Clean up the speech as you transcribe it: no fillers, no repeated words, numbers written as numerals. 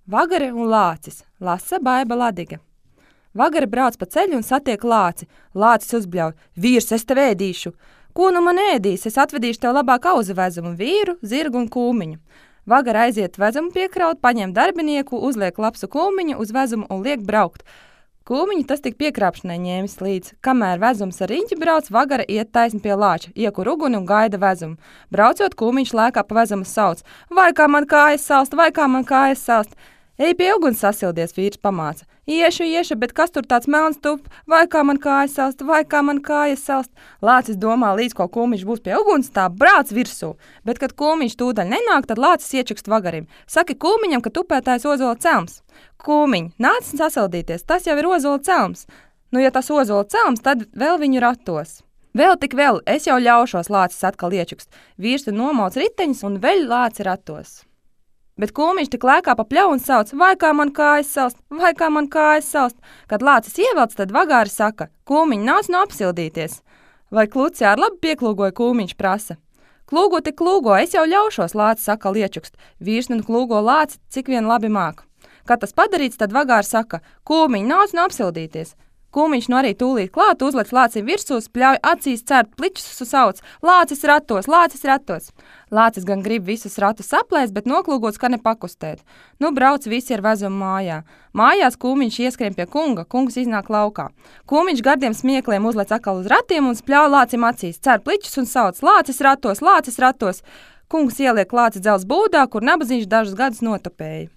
Vagare un lācis, lasa Baiba Ladiga. Vagare brauc pa ceļu un satiek lāci. Lācis uzbļauj: vīrs, es tev ēdīšu. Ko nu man ēdīs? Es atvedīšu tev labāk auzu vezumu, vīru, zirgu un kūmiņu. Vagare aiziet vezumu piekraut, paņem darbinieku, uzliek lapsu kūmiņu uz vezumu un liek braukt. Kūmiņu tas tik piekrāpšanai ņēmis līdz. Kamēr vezums ar riņķi brauc, Vagare iet taisni pie lāča, iekur uguni un gaida vezumu. Braucot, kūmiņš lēkā pa vezumu sauc: vai kā man kājas salst, vai kā man kājas salst. Ej pie uguns sasildies, vīrs pamāca. Iešu, bet kas tur tāds melns tup, vai kā man kājas salst, vai kā man kājas salst. Lācis domā, līdz ko kūmiņš būs pie uguns, tā brāc virsū. Bet, kad kūmiņš tūdaļ nenāk, tad lācis iečukst Vagarim. Saki kūmiņam, ka tupētājs ozola celms. Kūmiņ, nāc sasildīties, tas jau ir ozola celms. Nu, ja tas ozola celms, tad vēl viņu ratos. Vēl tik vēl, es jau ļaušos, lācis atkal iečukst. Vīrs nomauc riteņus un veļ lāci ratos. Bet kūmiņš tik lēkā pa pļauju un sauc: vai kā man kājas salst, vai kā man kājas salst. Kad lācis ievelc, tad Vagāri saka: kūmiņ, nāc nu apsildīties. Vai kluci ar labi pieklūgoja, kūmiņš prasa. Klūgo tik klūgo, es jau ļaušos, lācis atkal iečukst. Vīrs nu klūgo lāci, cik vien labi māk. Kad tas padarīts, tad Vagāri saka: kūmiņ, nāc nu apsildīties. Kūmiņš nu arī tūlīt klāt, uzlec lācim virsū, pļauj acīs cērt pliķus sauc: lācis ratos, lācis ratos. Lācis gan grib visus ratus saplēst, bet noklūgots, ka nepakustēt. Nu brauc visi ar vezumu mājā. Mājās kūmiņš ieskrien pie kunga, kungs iznāk laukā. Kūmiņš gardiem smiekliem uzlec atkal uz ratiem un pļauj lācim acīs, cērt pliķus un sauc: lācis ratos, lācis ratos. Kungs ieliek lāci dzels būdā, kur nabaziņš dažus gadus notupēja.